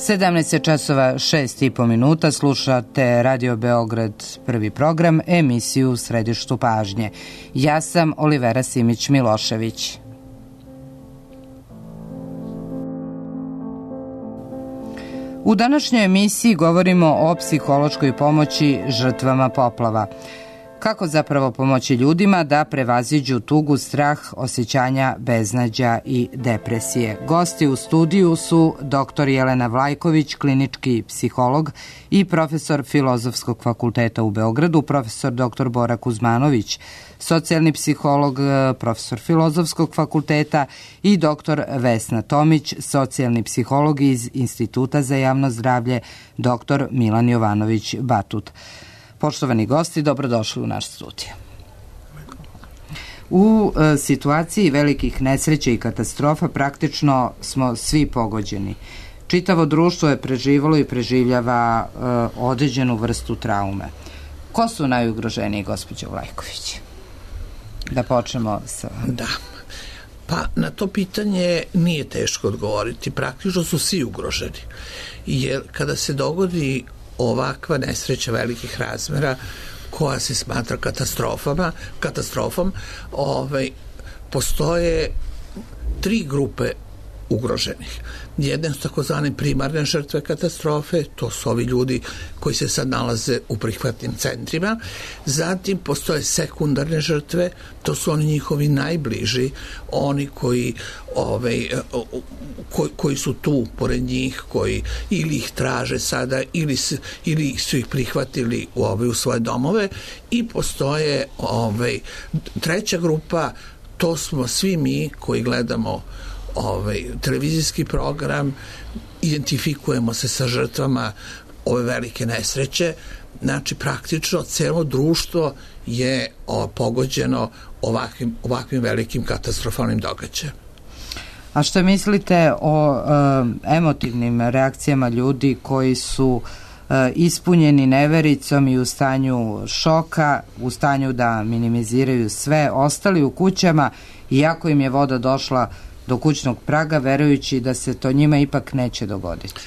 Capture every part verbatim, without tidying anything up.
sedamnaest časova šest i po minuta, slušate Radio Beograd prvi program, emisiju u središtu pažnje. Ja sam Olivera Simić-Milošević. U današnjoj emisiji govorimo o psihološkoj pomoći žrtvama poplava. Kako zapravo pomoći ljudima da prevaziđu tugu, strah, osjećanja beznađa i depresije. Gosti u studiju su doktor Jelena Vlajković, klinički psiholog i profesor Filozofskog fakulteta u Beogradu, profesor doktor Bora Kuzmanović, socijalni psiholog, profesor Filozofskog fakulteta i doktor Vesna Tomić, socijalni psiholog iz Instituta za javno zdravlje, doktor Milan Jovanović Batut. Poštovani gosti, dobrodošli u naš studio. U e, situaciji velikih nesreća i katastrofa praktično smo svi pogođeni. Čitavo društvo je preživalo i preživljava e, određenu vrstu traume. Ko su najugroženiji, gospođo Vlajković? Da počnemo sa... Da. Pa na to pitanje nije teško odgovoriti. Praktično su svi ugroženi. Jer kada se dogodi ovakva nesreća velikih razmera koja se smatra katastrofama, katastrofom, ovaj, postoje tri grupe ugroženih. Jedne su takozvane primarne žrtve katastrofe, to su ovi ljudi koji se sad nalaze u prihvatnim centrima. Zatim postoje sekundarne žrtve, to su oni njihovi najbliži, oni koji, ovaj, koji, koji su tu pored njih, koji ili ih traže sada ili, ili su ih prihvatili u, ovaj, u svoje domove. I postoje ovaj, treća grupa, to smo svi mi koji gledamo ovaj televizijski program, identifikujemo se sa žrtvama ove velike nesreće. Znači praktično celo društvo je o, pogođeno ovakvim, ovakvim velikim katastrofalnim događajem. A što mislite o e, emotivnim reakcijama ljudi koji su e, ispunjeni nevericom i u stanju šoka, u stanju da minimiziraju sve, ostali u kućama iako im je voda došla do kućnog praga, verujući da se to njima ipak neće dogoditi?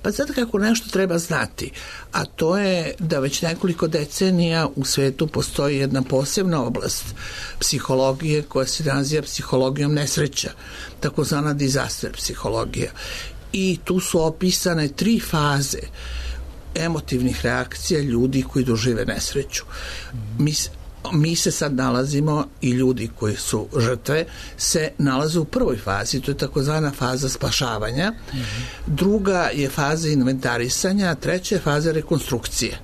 Pa sad kako nešto treba znati, a to je da već nekoliko decenija u svetu postoji jedna posebna oblast psihologije koja se naziva psihologijom nesreća, takozvana disaster psihologija. I tu su opisane tri faze emotivnih reakcija ljudi koji dožive nesreću. Mi Mi se sad nalazimo i ljudi koji su žrtve se nalaze u prvoj fazi, to je takozvana faza spašavanja. Mm-hmm. Druga je faza inventarisanja, treća je faza rekonstrukcije.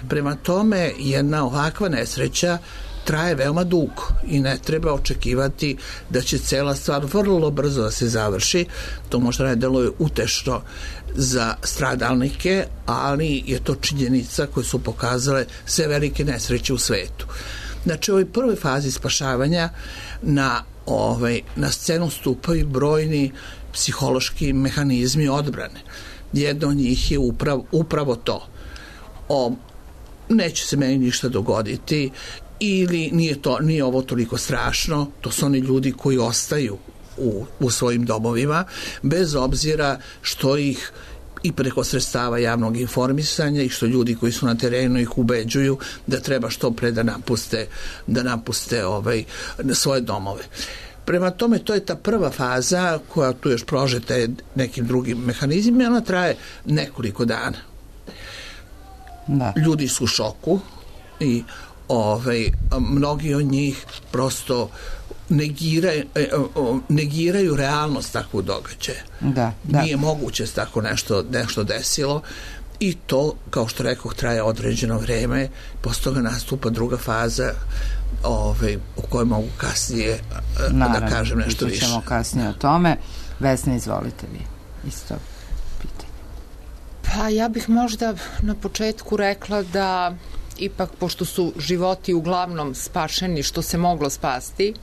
Prema tome, jedna ovakva nesreća traje veoma dugo i ne treba očekivati da će cela stvar vrlo brzo da se završi. To možda ne deluje utešno za stradalnike, ali je to činjenica koje su pokazale sve velike nesreće u svetu. Znači, u ovoj prvoj fazi spašavanja na, ovaj, na scenu stupaju brojni psihološki mehanizmi odbrane. Jedno od njih je upravo, upravo to. O, neće se meni ništa dogoditi, ili nije, to, nije ovo toliko strašno. To su oni ljudi koji ostaju u, u svojim domovima, bez obzira što ih i preko sredstava javnog informisanja i što ljudi koji su na terenu ih ubeđuju da treba što pre da napuste, da napuste ovaj, svoje domove. Prema tome, to je ta prva faza koja tu još prožeta nekim drugim mehanizmima, ona traje nekoliko dana. Da. Ljudi su u šoku i ovaj, mnogi od njih prosto negiraju, negiraju realnost takvog događaja. Da, da. Nije moguće da tako nešto, nešto desilo i to, kao što rekoh, traje određeno vreme, posle toga nastupa druga faza ovaj, u kojoj mogu kasnije Naravno, da kažem nešto više. Naravno, kasnije o tome. Vesna, izvolite vi isto pitanje. Pa ja bih možda na početku rekla da ipak, pošto su životi uglavnom spašeni što se moglo spasti,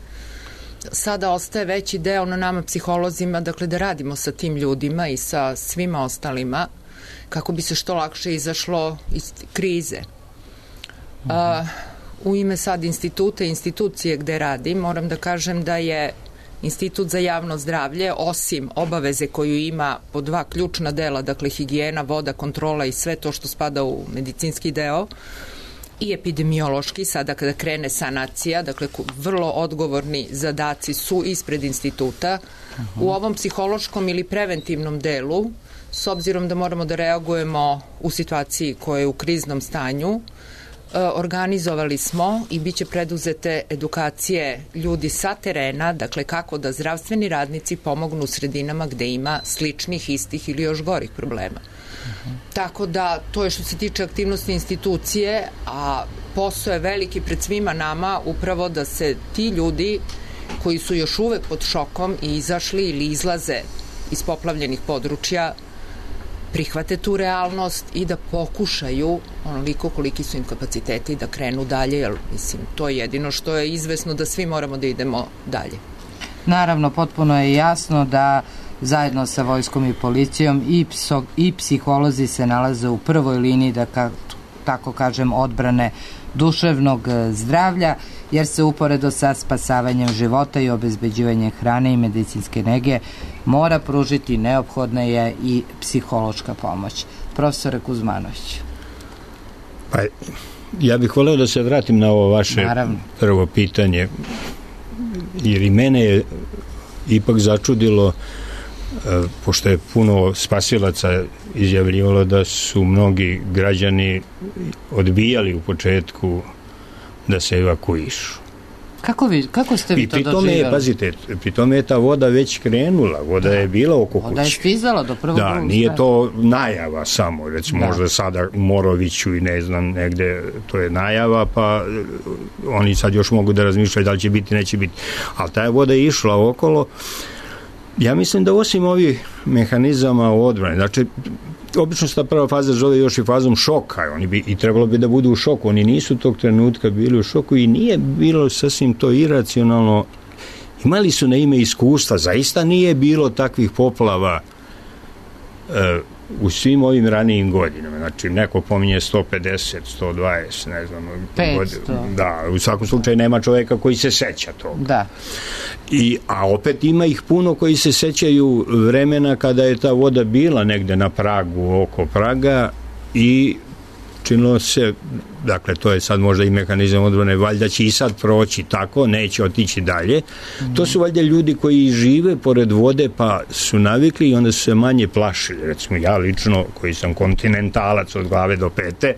sada ostaje veći deo na nama psiholozima, dakle da radimo sa tim ljudima i sa svima ostalima kako bi se što lakše izašlo iz krize. Mm-hmm. A, u ime sad instituta i institucije gde radim, moram da kažem da je Institut za javno zdravlje, osim obaveze koju ima po dva ključna dela, dakle higijena, voda, kontrola i sve to što spada u medicinski deo, i epidemiološki, sada kada krene sanacija, dakle vrlo odgovorni zadaci su ispred instituta. Uh-huh. U ovom psihološkom ili preventivnom delu, s obzirom da moramo da reagujemo u situaciji koja je u kriznom stanju, organizovali smo i biće preduzete edukacije ljudi sa terena, dakle kako da zdravstveni radnici pomognu u sredinama gde ima sličnih, istih ili još gorih problema. Uh-huh. Tako da to je što se tiče aktivnosti institucije, a posao je veliki pred svima nama upravo da se ti ljudi koji su još uvek pod šokom i izašli ili izlaze iz poplavljenih područja prihvate tu realnost i da pokušaju onoliko koliki su im kapaciteti da krenu dalje, jer mislim, to je jedino što je izvesno, da svi moramo da idemo dalje. Naravno, potpuno je jasno da zajedno sa vojskom i policijom i, pso, i psiholozi se nalaze u prvoj liniji, da ka, tako kažem, odbrane duševnog zdravlja, jer se uporedo sa spasavanjem života i obezbeđivanjem hrane i medicinske nege mora pružiti neophodna je i psihološka pomoć. Profesore Kuzmanović. Pa, ja bih voleo da se vratim na ovo vaše Naravno. prvo pitanje, jer i mene je ipak začudilo, pošto je puno spasilaca izjavljivalo da su mnogi građani odbijali u početku da se evakuišu. Kako, vi, kako ste vi I to pri tome doživjeli? Je, pazite, pri tome je ta voda već krenula, voda da. je bila oko kuće. Voda je stizala do prvog Da, drugog nije to najava samo, recimo da. možda sada u Moroviću i ne znam negde, to je najava, pa oni sad još mogu da razmišljaju da li će biti, neće biti. Ali ta voda je išla okolo. Ja mislim da osim ovih mehanizama odbrane, znači, obično se ta prva faza zove još i fazom šoka, oni bi, i trebalo bi da budu u šoku, oni nisu tog trenutka bili u šoku i nije bilo sasvim to iracionalno, imali su na ime iskustva, zaista nije bilo takvih poplava e, u svim ovim ranijim godinama, znači neko pominje sto pedeset, sto dvadeset, ne znam, petsto. Da, u svakom slučaju nema čoveka koji se seća toga. Da. I, a opet ima ih puno koji se sećaju vremena kada je ta voda bila negde na pragu, oko praga i činilo se, dakle to je sad možda i mehanizam odbrane, valjda će i sad proći tako, neće otići dalje. Mm. To su valjda ljudi koji žive pored vode pa su navikli i onda su se manje plašili. Recimo ja lično, koji sam kontinentalac od glave do pete,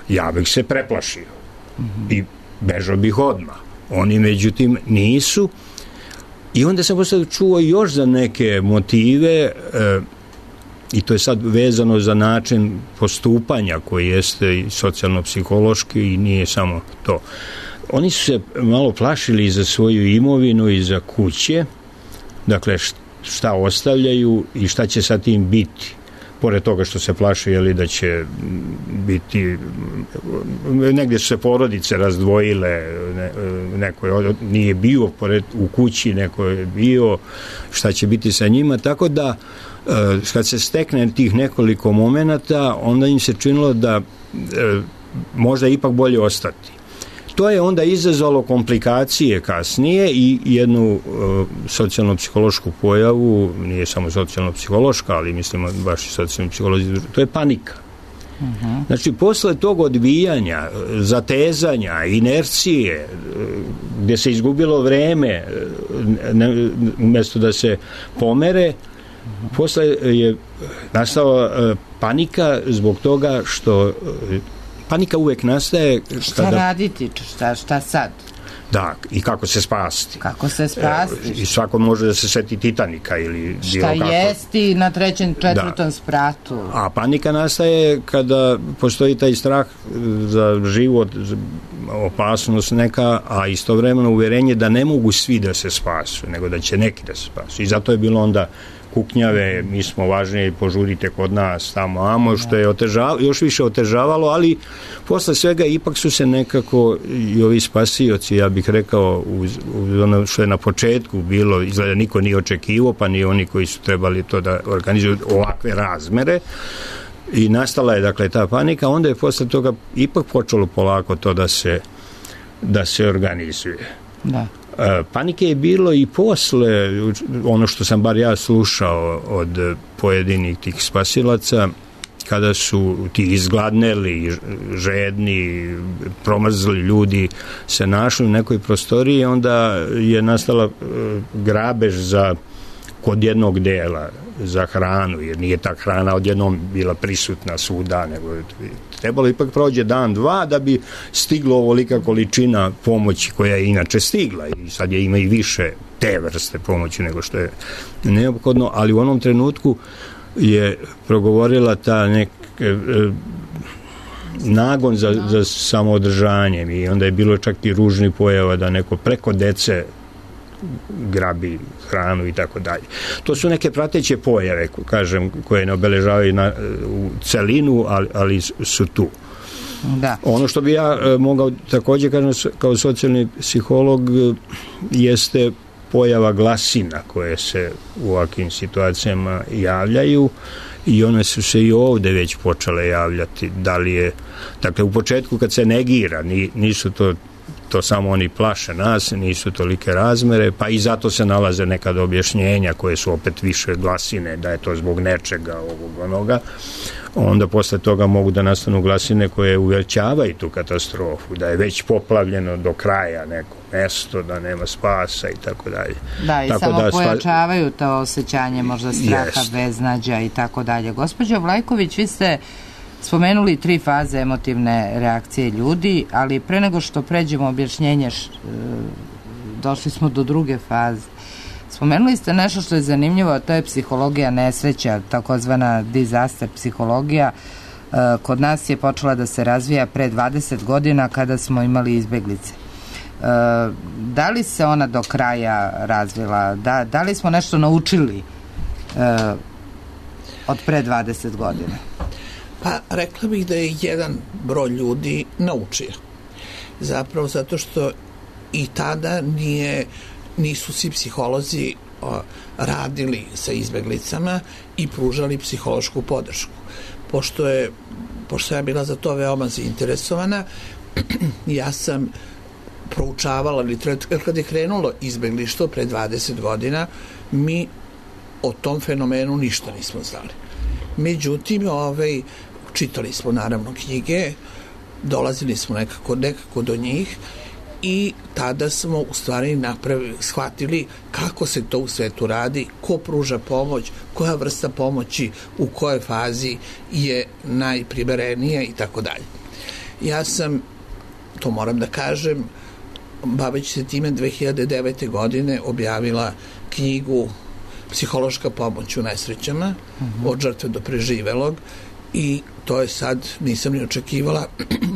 ja bih se preplašio mm. i bežao bih odmah. Oni međutim nisu. I onda sam posle čuo još za neke motive, e, i to je sad vezano za način postupanja koji jeste i socijalno-psihološki i nije samo to. Oni su se malo plašili za svoju imovinu i za kuće, dakle šta ostavljaju i šta će sa tim biti. Pored toga što se plaše, jeli, da će biti, negdje su se porodice razdvojile, ne, neko je, nije bio pored, u kući, neko je bio, šta će biti sa njima, tako da kad se stekne tih nekoliko momenata, onda im se činilo da možda ipak bolje ostati. To je onda izazvalo komplikacije kasnije i jednu uh, socijalno-psihološku pojavu, nije samo socijalno-psihološka, ali mislimo baš i socijalno-psihološka, to je panika. Uh-huh. Znači, posle tog odbijanja, zatezanja, inercije, gdje se izgubilo vreme, ne, umjesto da se pomere, uh-huh. posle je nastala uh, panika zbog toga što uh, panika uvek nastaje... Šta kada... raditi? Šta, šta sad? Da, i kako se spasti. Kako se spasti? E, I svako može da se seti Titanika ili... Šta kako. Jesti na trećem, četvrtom da. spratu? A panika nastaje kada postoji taj strah za život, za opasnost neka, a istovremeno uverenje da ne mogu svi da se spasu, nego da će neki da se spasu. I zato je bilo onda kuknjave, mi smo važniji, požurite kod nas, tamo, amo, što je otežavalo, još više otežavalo, ali posle svega ipak su se nekako i ovi spasioci, ja bih rekao, uz, uz ono što je na početku bilo, izgleda niko nije očekivao, pa ni oni koji su trebali to da organizuju ovakve razmere, i nastala je, dakle, ta panika, onda je posle toga ipak počelo polako to da se da se organizuje. Da. Panike je bilo i posle, ono što sam bar ja slušao od pojedinih tih spasilaca, kada su ti izgladneli, žedni, promrzli ljudi se našli u nekoj prostoriji, onda je nastala grabež za kod jednog dela za hranu, jer nije ta hrana odjednom bila prisutna svuda, nego je trebalo ipak prođe dan, dva da bi stiglo ovolika količina pomoći koja je inače stigla i sad je ima i više te vrste pomoći nego što je neophodno, ali u onom trenutku je progovorila ta nek e, nagon za, za samoodržanjem i onda je bilo čak i ružni pojava da neko preko dece grabi hranu i tako dalje. To su neke prateće pojave, kažem, koje ne obeležavaju na, u celinu, ali, ali su tu. Da. Ono što bi ja e, mogao takođe kažem kao socijalni psiholog jeste pojava glasina koje se u ovakvim situacijama javljaju i one su se i ovde već počele javljati. Da li je, dakle, u početku kad se negira, nisu to to samo oni plaše nas, nisu tolike razmere, pa i zato se nalaze nekad objašnjenja koje su opet više glasine, da je to zbog nečega ovog onoga, onda posle toga mogu da nastanu glasine koje uvećavaju tu katastrofu, da je već poplavljeno do kraja neko mesto, da nema spasa i tako dalje. Da, i tako samo da pojačavaju to osjećanje možda straha, jest. beznađa i tako dalje. Gospođo Vlajković, vi ste spomenuli tri faze emotivne reakcije ljudi, ali pre nego što pređemo objašnjenje, došli smo do druge faze. Spomenuli ste nešto što je zanimljivo, a to je psihologija nesreća, takozvana disaster psihologija. Kod nas je počela da se razvija pre dvadeset godina kada smo imali izbeglice. Da li se ona do kraja razvila? Da, da li smo nešto naučili od pre dvadeset godina? Pa rekla bih da je jedan broj ljudi naučio. Zapravo zato što i tada nije, nisu svi psiholozi o, radili sa izbeglicama i pružali psihološku podršku. Pošto je, pošto ja bila za to veoma zainteresovana, ja sam proučavala literaturu. Kad je krenulo izbeglištvo pre dvadeset godina, mi o tom fenomenu ništa nismo znali. Međutim, ovaj, čitali smo naravno knjige, dolazili smo nekako, nekako do njih i tada smo u stvari napravili, shvatili kako se to u svetu radi, ko pruža pomoć, koja vrsta pomoći, u kojoj fazi je najprimerenija i tako dalje. Ja sam, to moram da kažem, baveći se time dve hiljade devete. godine objavila knjigu Psihološka pomoć u nesrećama, uh-huh. od žrtve do preživelog, i to je sad, nisam ni očekivala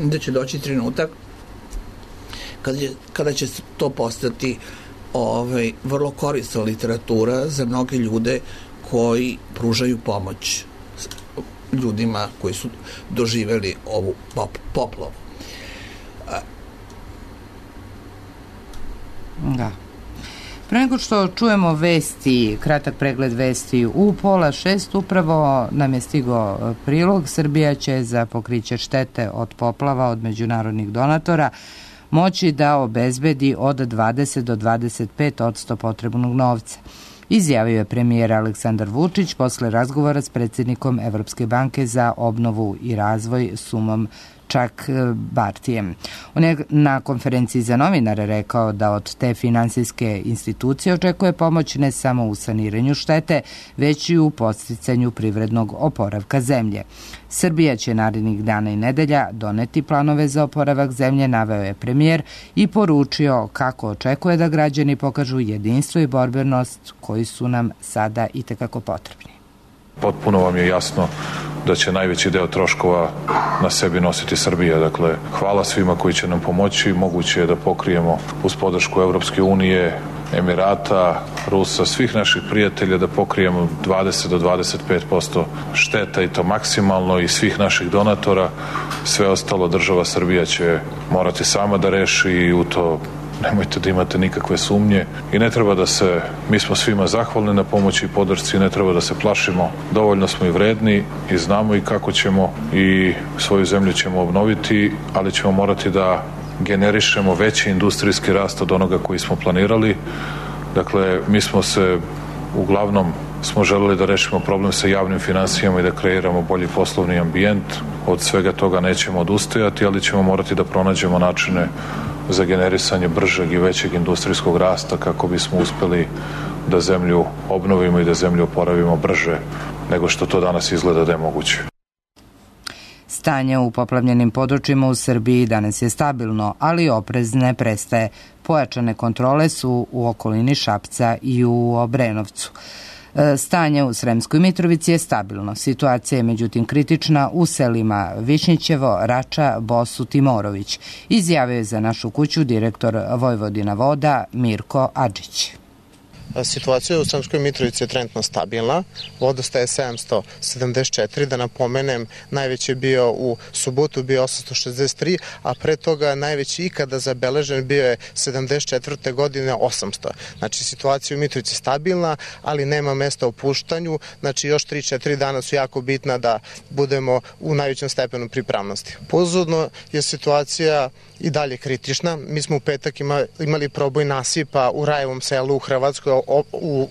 da će doći trenutak kada će, kada će to postati ovaj, vrlo korisna literatura za mnoge ljude koji pružaju pomoć ljudima koji su doživeli ovu pop, poplavu. Da. Pre nego što čujemo vesti, kratak pregled vesti u pola šest, upravo nam je stigao prilog. Srbija će za pokriće štete od poplava od međunarodnih donatora moći da obezbedi od dvadeset do dvadeset pet odsto potrebnog novca. Izjavio je premijer Aleksandar Vučić posle razgovora s predsjednikom Evropske banke za obnovu i razvoj Sumom Čak Bartijem. On je na konferenciji za novinare rekao da od te finansijske institucije očekuje pomoć ne samo u saniranju štete, već i u podsticanju privrednog oporavka zemlje. Srbija će narednih dana i nedelja doneti planove za oporavak zemlje, naveo je premijer i poručio kako očekuje da građani pokažu jedinstvo i borbenost koji su nam sada itekako potrebni. Potpuno vam je jasno da će najveći deo troškova na sebi nositi Srbija. Dakle, hvala svima koji će nam pomoći. Moguće je da pokrijemo uz podršku Evropske unije, Emirata, Rusa, svih naših prijatelja, da pokrijemo dvadeset do dvadeset pet posto šteta i to maksimalno, i svih naših donatora. Sve ostalo država Srbija će morati sama da reši i u to nemojte da imate nikakve sumnje i ne treba da se, mi smo svima zahvalni na pomoći i podršci, ne treba da se plašimo, dovoljno smo i vredni i znamo i kako ćemo i svoju zemlju ćemo obnoviti, ali ćemo morati da generišemo veći industrijski rast od onoga koji smo planirali. Dakle, mi smo se uglavnom smo želeli da rešimo problem sa javnim finansijama i da kreiramo bolji poslovni ambijent. Od svega toga nećemo odustajati, ali ćemo morati da pronađemo načine za generisanje bržeg i većeg industrijskog rasta kako bismo uspeli da zemlju obnovimo i da zemlju oporavimo brže nego što to danas izgleda da je moguće. Stanje u poplavljenim područjima u Srbiji danas je stabilno, ali oprez ne prestaje. Pojačane kontrole su u okolini Šapca i u Obrenovcu. Stanje u Sremskoj Mitrovici je stabilno. Situacija je međutim kritična u selima Višnjićevo, Rača, Bosut i Morović, izjavio je za Našu kuću direktor Vojvodina voda Mirko Adžić. Situacija u Sremskoj Mitrovici je trenutno stabilna, vodostaj je sedamsto sedamdeset četiri, da napomenem, najveći je bio u subotu, bio osamsto šezdeset tri, a pre toga najveći ikada zabeležen bio je sedamdeset četvrte godine osamsto. Znači, situacija u Mitrovici je stabilna, ali nema mesta opuštanju, znači još tri četiri dana su jako bitna da budemo u najvećem stepenu pripravnosti. Pozorno je situacija i dalje kritična. Mi smo u petak imali proboj nasipa u Rajevom selu u Hrvatskoj u, u,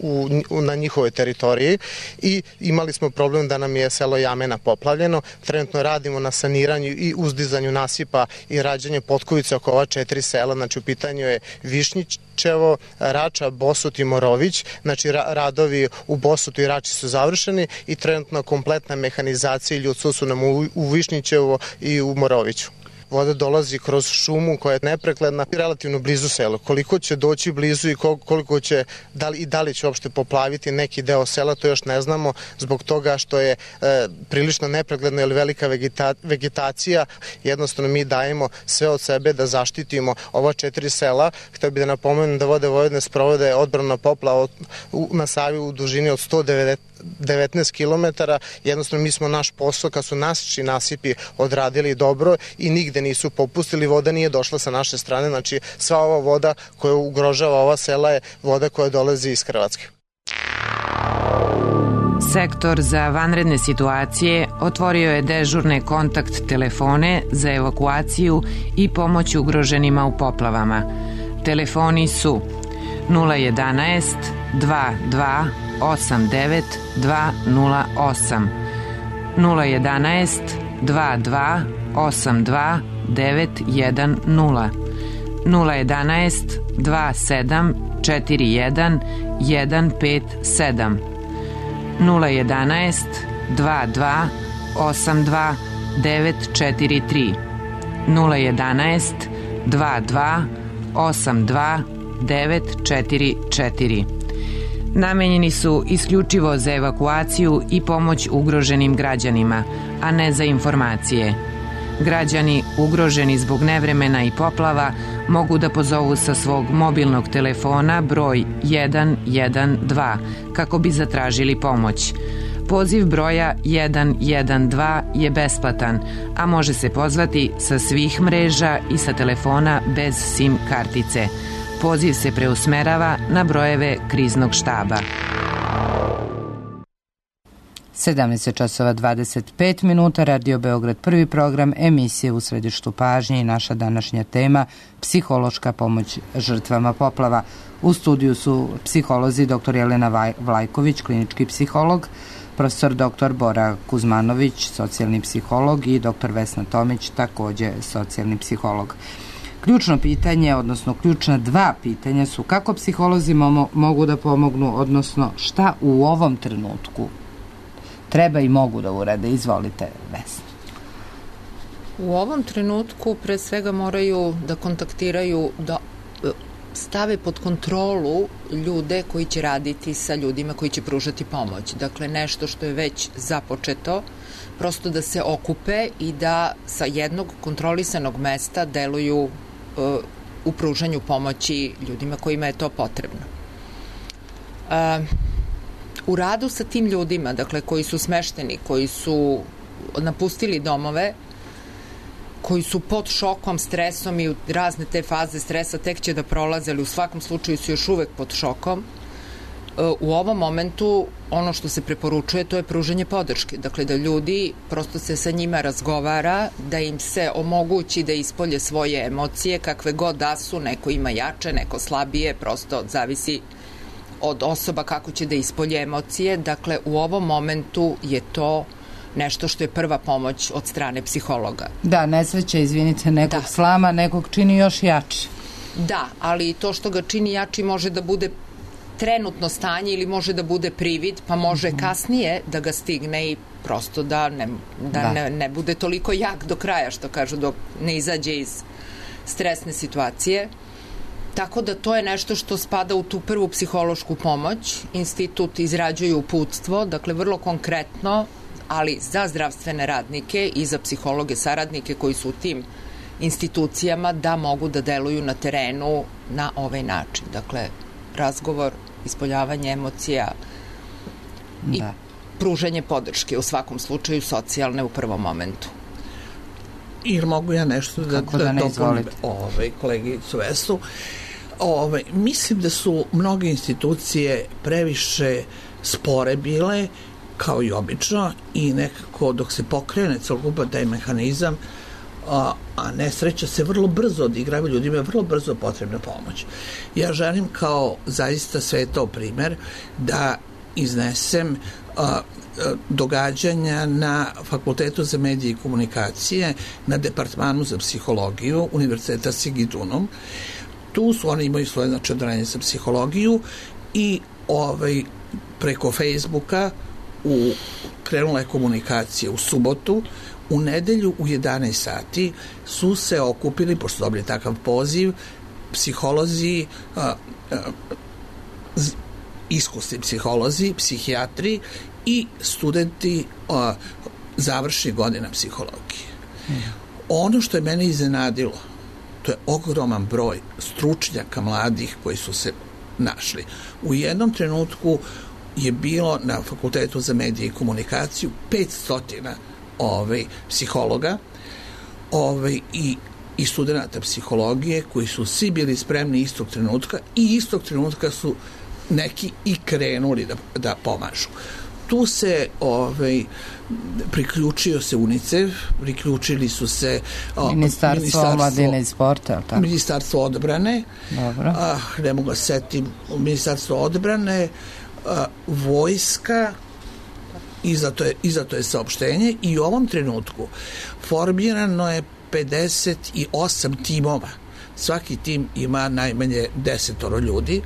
u, na njihovoj teritoriji i imali smo problem da nam je selo Jamena poplavljeno. Trenutno radimo na saniranju i uzdizanju nasipa i rađanju potkovice oko ova četiri sela. Znači, u pitanju je Višnjićevo, Rača, Bosut i Morović. Znači, ra radovi u Bosutu i Rači su završeni i trenutno kompletna mehanizacija i ljudstvo su nam u, u Višnjićevo i u Moroviću. Voda dolazi kroz šumu koja je neprekledna i relativno blizu sela. Koliko će doći blizu i koliko će, da li, i da li će uopšte poplaviti neki deo sela, to još ne znamo, zbog toga što je e, prilično nepregledna ili velika vegeta, vegetacija. Jednostavno mi dajemo sve od sebe da zaštitimo ova četiri sela. Htio bih da napomenem da Vode Vojvodine sprovode odbranu poplava na Savi u dužini od sto devetnaest kilometara. Jednostavno mi smo naš posao, kad su naši nasipi odradili dobro i nigde nisu popustili, voda nije došla sa naše strane, znači sva ova voda koja ugrožava ova sela je voda koja dolazi iz Hrvatske. Sektor za vanredne situacije otvorio je dežurne kontakt telefone za evakuaciju i pomoć ugroženima u poplavama. Telefoni su nula jedanaest dva dva osam devet dva nula osam, nula jedanaest dva dva osam dva devet jedan nula, nula jedanaest dva sedam četiri jedan jedan pet sedam, nula jedanaest dva dva osam dva devet četiri tri, nula jedanaest dva dva osam dva devet četiri četiri. Namenjeni su isključivo za evakuaciju i pomoć ugroženim građanima, a ne za informacije. Građani ugroženi zbog nevremena i poplava mogu da pozovu sa svog mobilnog telefona broj jedan jedan dva kako bi zatražili pomoć. Poziv broja jedan jedan dva je besplatan, a može se pozvati sa svih mreža i sa telefona bez SIM kartice. Poziv se preusmerava na brojeve kriznog štaba. sedamnaest časova dvadeset pet minuta, Radio Beograd, prvi program, emisije u središtu pažnje i naša današnja tema psihološka pomoć žrtvama poplava. U studiju su psiholozi dr Jelena Vlajković, klinički psiholog, profesor dr Bora Kuzmanović, socijalni psiholog i dr Vesna Tomić, takođe socijalni psiholog. Ključno pitanje, odnosno ključna dva pitanja su kako psiholozi mogu da pomognu, odnosno šta u ovom trenutku treba i mogu da urade. Izvolite, Vesna. U ovom trenutku pre svega moraju da kontaktiraju, da stave pod kontrolu ljude koji će raditi sa ljudima koji će pružati pomoć. Dakle, nešto što je već započeto, prosto da se okupe i da sa jednog kontrolisanog mesta deluju uh, u pružanju pomoći ljudima kojima je to potrebno. Uh, u radu sa tim ljudima, dakle, koji su smešteni, koji su napustili domove, koji su pod šokom, stresom i razne te faze stresa tek će da prolaze, ali u svakom slučaju su još uvek pod šokom, u ovom momentu ono što se preporučuje, to je pružanje podrške. Dakle, da ljudi, prosto se sa njima razgovara, da im se omogući da ispolje svoje emocije, kakve god da su, neko ima jače, neko slabije, prosto zavisi od osoba kako će da ispolje emocije. Dakle, u ovom momentu je to nešto što je prva pomoć od strane psihologa. Da, nesreća, izvinite, nekog da. slama, nekog čini još jači. Da, ali to što ga čini jači može da bude trenutno stanje ili može da bude privid, pa može mm-hmm. kasnije da ga stigne i prosto da, ne, da, da. Ne, ne bude toliko jak do kraja, što kažu, dok ne izađe iz stresne situacije. Tako da to je nešto što spada u tu prvu psihološku pomoć. Institut izrađuje uputstvo, dakle vrlo konkretno, ali za zdravstvene radnike i za psihologe saradnike koji su u tim institucijama da mogu da deluju na terenu na ovaj način. Dakle, razgovor, ispoljavanje emocija i da. pružanje podrške, u svakom slučaju socijalne u prvom momentu. Ili mogu ja nešto da, Kako da, da ne izvolite? Ove, koleginicu Vesnu. Ove, mislim da su mnoge institucije previše spore bile, kao i obično, i nekako dok se pokrene celokupan taj mehanizam, a, a nesreća se vrlo brzo odigrava, ljudima je vrlo brzo potrebna pomoć. Ja želim kao zaista svetao primer da iznesem a, događanja na Fakultetu za medije i komunikacije, na Departmanu za psihologiju Univerziteta Sigidunum. Tu su, oni imaju svoje znači odeljenje za psihologiju i ovaj, preko Facebooka u, krenula je komunikacija u subotu. U nedelju u jedanaest sati su se okupili, pošto dobili takav poziv, psiholozi, a, a, iskusni psiholozi, psihijatri i studenti a, završnih godina psihologije. Mm. Ono što je mene iznenadilo, to je ogroman broj stručnjaka mladih koji su se našli. U jednom trenutku je bilo na Fakultetu za medije i komunikaciju petsto ovaj, psihologa ovaj, i, i studenta psihologije koji su svi bili spremni istog trenutka i istog trenutka su neki i krenuli da, da pomažu. Tu se ovaj, priključio se UNICEF, priključili su se o, Ministarstvo, Ministarstvo omladine i sporta, tako? Ministarstvo odbrane, dobro. A, ne mogu da setim, Ministarstvo odbrane, a, vojska, i zato je, i zato je saopštenje, i u ovom trenutku formirano je pedeset osam timova. Svaki tim ima najmanje desetoro ljudi.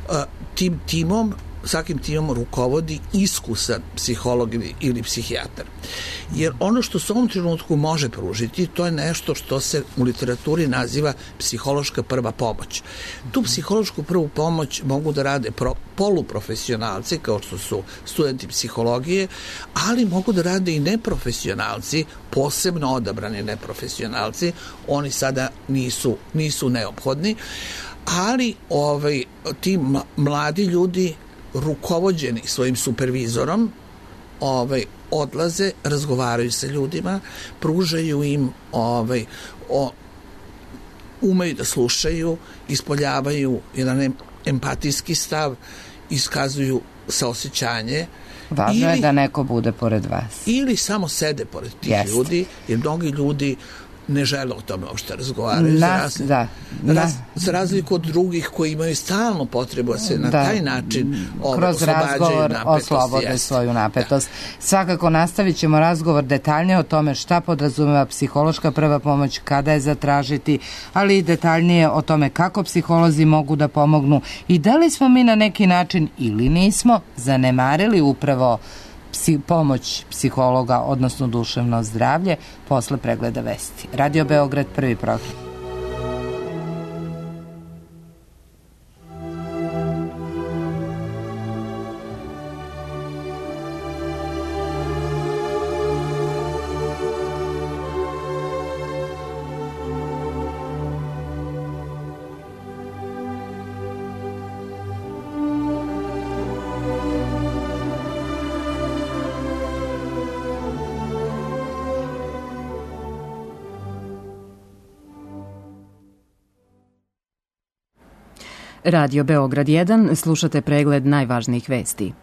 A, tim timom svakim timom rukovodi iskusan psiholog ili, ili psihijatar. Jer ono što se u ovom trenutku može pružiti, to je nešto što se u literaturi naziva psihološka prva pomoć. Tu psihološku prvu pomoć mogu da rade pro, poluprofesionalci, kao što su studenti psihologije, ali mogu da rade i neprofesionalci, posebno odabrani neprofesionalci. Oni sada nisu, nisu neophodni, ali ovaj, ti mladi ljudi rukovođeni svojim supervizorom ovaj, odlaze, razgovaraju sa ljudima, pružaju im ovaj, o, umeju da slušaju, ispoljavaju jedan empatijski stav, iskazuju saosećanje. Važno ili, je da neko bude pored vas. Ili samo sede pored tih Jest. ljudi, jer mnogi ljudi ne žele o tome uopšte razgovaraju. Na, za, razli, da, raz, za razliku od drugih koji imaju stalnu potrebu da se na da, taj način kroz razgovor oslobode jest. svoju napetost. Da. Svakako nastavit ćemo razgovor detaljnije o tome šta podrazumeva psihološka prva pomoć, kada je zatražiti, ali i detaljnije o tome kako psiholozi mogu da pomognu i da li smo mi na neki način ili nismo zanemarili upravo Psi, pomoć psihologa, odnosno duševno zdravlje, posle pregleda vesti. Radio Beograd, prvi program. Radio Beograd jedan, slušate pregled najvažnijih vesti.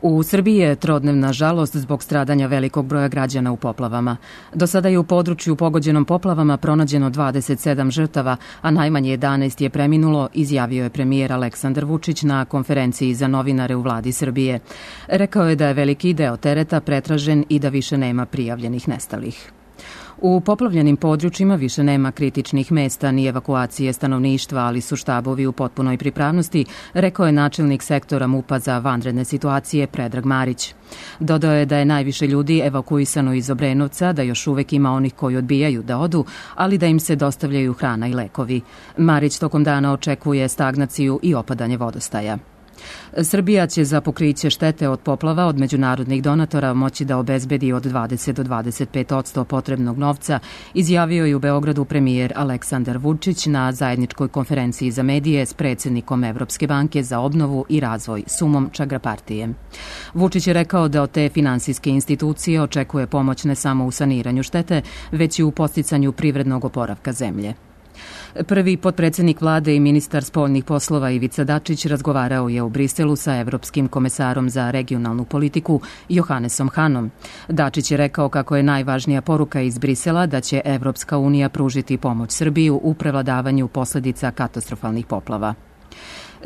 U Srbiji je trodnevna žalost zbog stradanja velikog broja građana u poplavama. Do sada je u području pogođenom poplavama pronađeno dvadeset sedam žrtava, a najmanje jedanaest je preminulo, izjavio je premijer Aleksandar Vučić na konferenciji za novinare u vladi Srbije. Rekao je da je veliki deo tereta pretražen i da više nema prijavljenih nestalih. U poplavljenim područjima više nema kritičnih mesta ni evakuacije stanovništva, ali su štabovi u potpunoj pripravnosti, rekao je načelnik sektora MUP-a za vanredne situacije Predrag Marić. Dodao je da je najviše ljudi evakuisano iz Obrenovca, da još uvek ima onih koji odbijaju da odu, ali da im se dostavljaju hrana i lekovi. Marić tokom dana očekuje stagnaciju i opadanje vodostaja. Srbija će za pokriće štete od poplava od međunarodnih donatora moći da obezbedi od dvadeset do dvadeset pet posto potrebnog novca, izjavio je u Beogradu premijer Aleksandar Vučić na zajedničkoj konferenciji za medije s predsjednikom Evropske banke za obnovu i razvoj Sumom Čagrapartijem. Vučić je rekao da od te finansijske institucije očekuje pomoć ne samo u saniranju štete, već i u podsticanju privrednog oporavka zemlje. Prvi potpredsjednik vlade i ministar spoljnih poslova Ivica Dačić razgovarao je u Briselu sa evropskim komesarom za regionalnu politiku Johannesom Hanom. Dačić je rekao kako je najvažnija poruka iz Brisela da će Evropska unija pružiti pomoć Srbiju u prevladavanju posledica katastrofalnih poplava.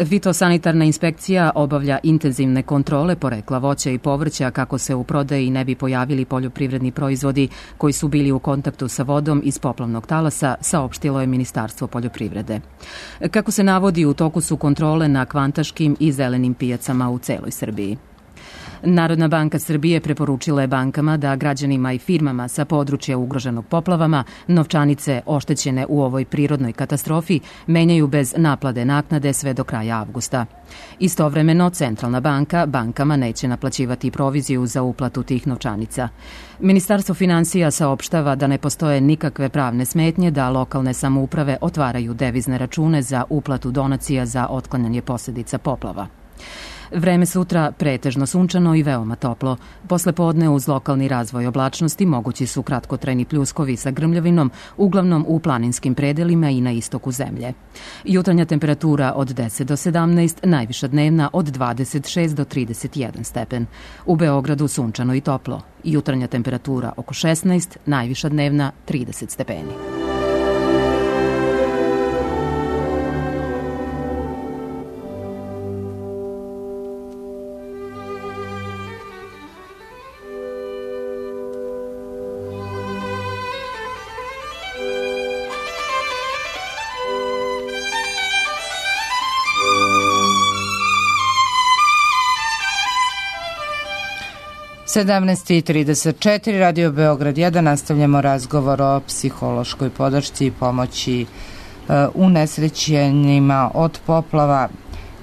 Fitosanitarna inspekcija obavlja intenzivne kontrole porekla voća i povrća kako se u prodaji ne bi pojavili poljoprivredni proizvodi koji su bili u kontaktu sa vodom iz poplavnog talasa, saopštilo je Ministarstvo poljoprivrede. Kako se navodi, u toku su kontrole na kvantaškim i zelenim pijacama u celoj Srbiji. Narodna banka Srbije preporučila je bankama da građanima i firmama sa područja ugroženog poplavama novčanice oštećene u ovoj prirodnoj katastrofi menjaju bez naplate naknade sve do kraja avgusta. Istovremeno, Centralna banka bankama neće naplaćivati proviziju za uplatu tih novčanica. Ministarstvo finansija saopštava da ne postoje nikakve pravne smetnje da lokalne samouprave otvaraju devizne račune za uplatu donacija za otklanjanje posljedica poplava. Vreme sutra pretežno sunčano i veoma toplo. Posle podne uz lokalni razvoj oblačnosti mogući su kratkotrajni pljuskovi sa grmljavinom, uglavnom u planinskim predelima i na istoku zemlje. Jutarnja temperatura od deset do sedamnaest, najviša dnevna od dvadeset šest do trideset jedan stepen. U Beogradu sunčano i toplo. Jutarnja temperatura oko šesnaest, najviša dnevna trideset stepeni. sedamnaest i trideset četiri, Radio Beograd jedan, nastavljamo razgovor o psihološkoj podršci i pomoći uh, unesrećenima od poplava.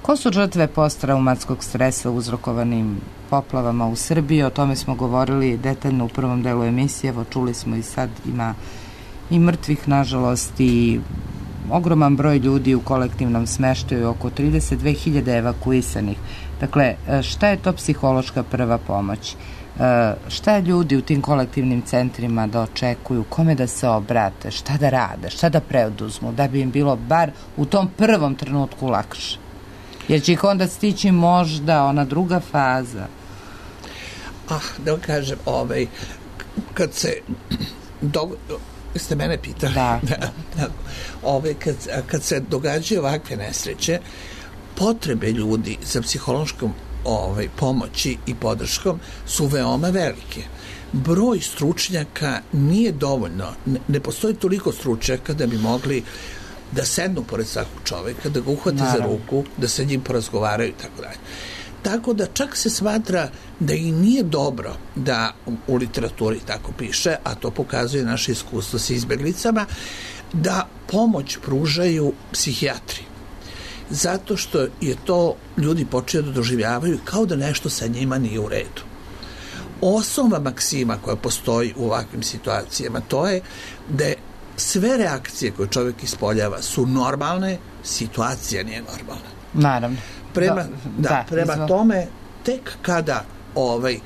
Ko su žrtve posttraumatskog stresa uzrokovanim poplavama u Srbiji? O tome smo govorili detaljno u prvom delu emisije, evo čuli smo i sad ima i mrtvih, nažalost, i ogroman broj ljudi u kolektivnom smeštaju, oko trideset dve hiljade evakuisanih. Dakle, šta je to psihološka prva pomoć? Šta ljudi u tim kolektivnim centrima da očekuju, kome da se obrate, šta da rade, šta da preduzmu, da bi im bilo bar u tom prvom trenutku lakše? Jer će ih onda stići možda ona druga faza. Ah, da vam kažem, ovaj, kad se dog... ste mene pitali? Da. da. Ove, kad, kad se događaju ovakve nesreće, potrebe ljudi za psihološkom ovaj, pomoći i podrškom su veoma velike. Broj stručnjaka nije dovoljno. Ne, ne postoji toliko stručnjaka da bi mogli da sednu pored svakog čoveka, da ga uhvate Naravno. za ruku, da se njim porazgovaraju i tako dalje. Tako da čak se smatra da i nije dobro da u literaturi tako piše, a to pokazuje naše iskustvo sa izbeglicama, da pomoć pružaju psihijatri. Zato što je to ljudi počeli da doživljavaju kao da nešto sa njima nije u redu. Osnova maksima koja postoji u ovakvim situacijama, to je da je sve reakcije koje čovjek ispoljava su normalne, situacija nije normalna. Naravno. Prema, da, da, da, prema izvo... tome, tek kada ovaj,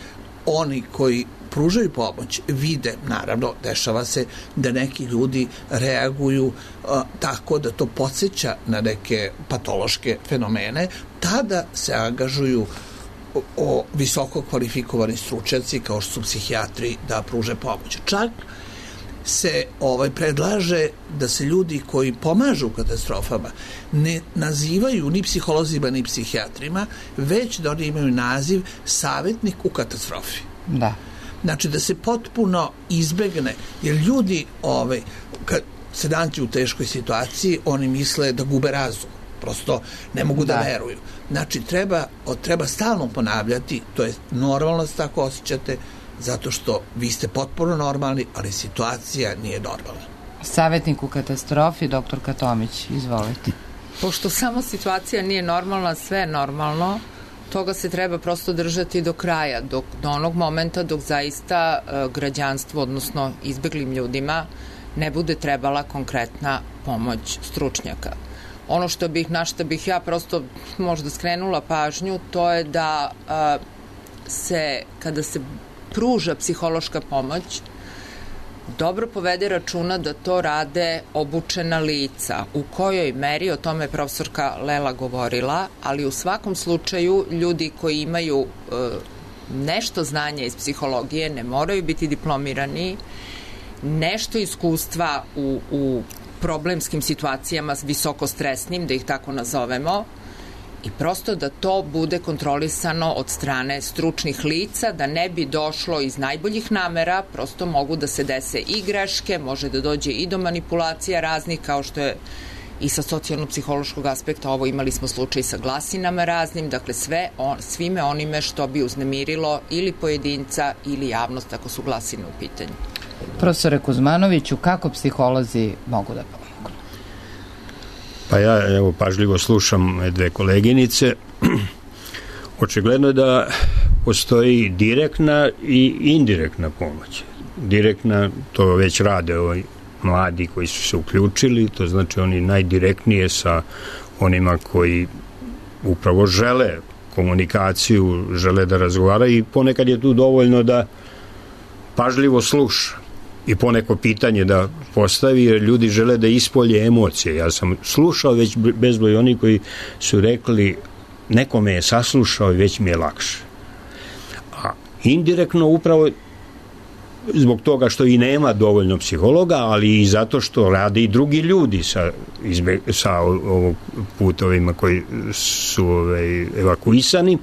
oni koji pružaju pomoć vide, naravno, dešava se da neki ljudi reaguju a, tako da to podsjeća na neke patološke fenomene, tada se angažuju o, o visoko kvalifikovani stručnjaci kao što su psihijatri da pruže pomoć. Čak se ovaj predlaže da se ljudi koji pomažu u katastrofama ne nazivaju ni psiholozima ni psihijatrima, već da oni imaju naziv savjetnik u katastrofi. Da. Znači da se potpuno izbegne, jer ljudi ovaj, kad se nađu u teškoj situaciji, oni misle da gube razum. Prosto ne mogu da, da veruju. Znači treba, treba stalno ponavljati, to je normalno da se tako osjećate, zato što vi ste potpuno normalni, ali situacija nije normalna. Savjetnik u katastrofi, doktor Tomić, izvolite. Pošto samo situacija nije normalna, sve je normalno, toga se treba prosto držati do kraja, dok, do onog momenta dok zaista e, građanstvo, odnosno izbeglim ljudima, ne bude trebala konkretna pomoć stručnjaka. Ono što bih, na što bih ja prosto možda skrenula pažnju, to je da e, se, kada se pruža psihološka pomoć, dobro povede računa da to rade obučena lica. U kojoj meri, o tome je profesorka Lela govorila, ali u svakom slučaju ljudi koji imaju e, nešto znanja iz psihologije, ne moraju biti diplomirani, nešto iskustva u, u problemskim situacijama visoko stresnim, da ih tako nazovemo, i prosto da to bude kontrolisano od strane stručnih lica, da ne bi došlo iz najboljih namera, prosto mogu da se dese i greške, može da dođe i do manipulacija raznih, kao što je i sa socijalno-psihološkog aspekta, ovo imali smo slučaj sa glasinama raznim, dakle sve on, svime onime što bi uznemirilo ili pojedinca ili javnost ako su glasine u pitanju. Profesore Kuzmanoviću, kako psiholozi mogu da pomogu? Pa ja evo pažljivo slušam dve koleginice. Očigledno je da postoji direktna i indirektna pomoć. Direktna, to već rade ovi mladi koji su se uključili, to znači oni najdirektnije sa onima koji upravo žele komunikaciju, žele da razgovaraju i ponekad je tu dovoljno da pažljivo sluša i poneko pitanje da postavi, jer ljudi žele da ispolje emocije. Ja sam slušao već bezbroj oni koji su rekli neko me je saslušao i već mi je lakše. A indirektno upravo zbog toga što i nema dovoljno psihologa, ali i zato što rade i drugi ljudi sa, izbe, sa ovog putovima koji su ovaj, evakuisani,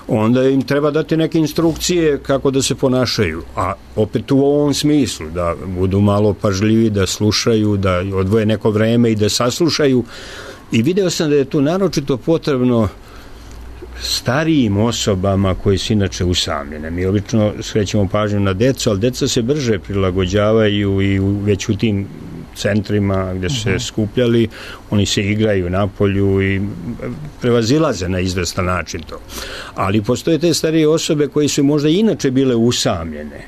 onda im treba dati neke instrukcije kako da se ponašaju. A opet u ovom smislu, da budu malo pažljivi, da slušaju, da odvoje neko vreme i da saslušaju. I video sam da je tu naročito potrebno starijim osobama koji su inače usamljene. Mi obično skrećemo pažnju na decu, ali deca se brže prilagođavaju i već u tim centrima gde su se skupljali, oni se igraju napolju i prevazilaze na izvestan način to. Ali postoje te starije osobe koji su možda inače bile usamljene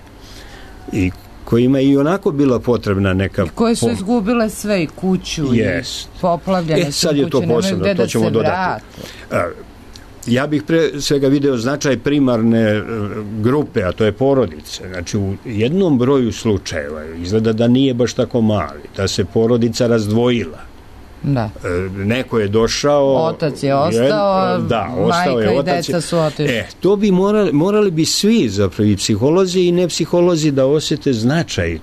i kojima i onako bila potrebna neka... I koje su pom... izgubile sve, i kuću, yes. i poplavljene e, sad je to posebno, to ćemo dodati. Ja bih pre svega video značaj primarne grupe, a to je porodice. Znači, u jednom broju slučajeva izgleda da nije baš tako mali, da se porodica razdvojila. Da. Neko je došao... Otac je ostao, jed, da, ostao majka je, i otac deca je, su otišli. E, to bi morali, morali bi svi, zapravo i psiholozi i nepsiholozi, da osjete značaj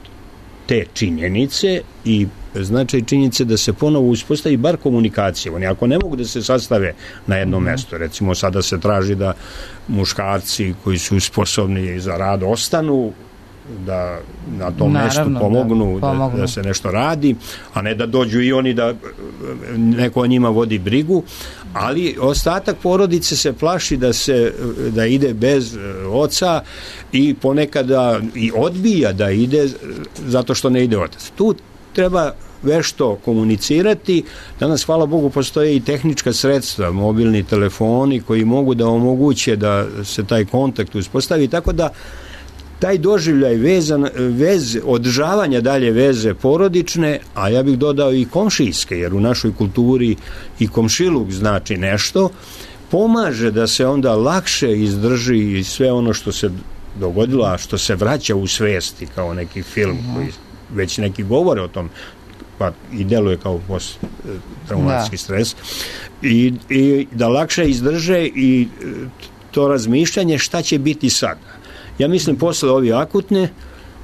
te činjenice i značaj činjenice da se ponovo uspostavi bar komunikacija. Oni ako ne mogu da se sastave na jedno mm-hmm. mesto, recimo sada se traži da muškarci koji su sposobni za rad ostanu, da na tom Naravno, mestu pomognu, da, pomognu. Da, da se nešto radi, a ne da dođu i oni da neko o njima vodi brigu, ali ostatak porodice se plaši da se da ide bez oca i ponekada i odbija da ide zato što ne ide otac. Tu treba vešto komunicirati. Danas, hvala Bogu, postoje i tehnička sredstva, mobilni telefoni koji mogu da omoguće da se taj kontakt uspostavi, tako da taj doživljaj vezan, vez, održavanja dalje veze porodične, a ja bih dodao i komšijske, jer u našoj kulturi i komšiluk znači nešto, pomaže da se onda lakše izdrži i sve ono što se dogodilo, a što se vraća u svesti kao neki film uh-huh. koji već neki govore o tom, pa i deluje kao post-traumatski stres, I, i da lakše izdrže i to razmišljanje šta će biti sada. Ja mislim, posle ove akutne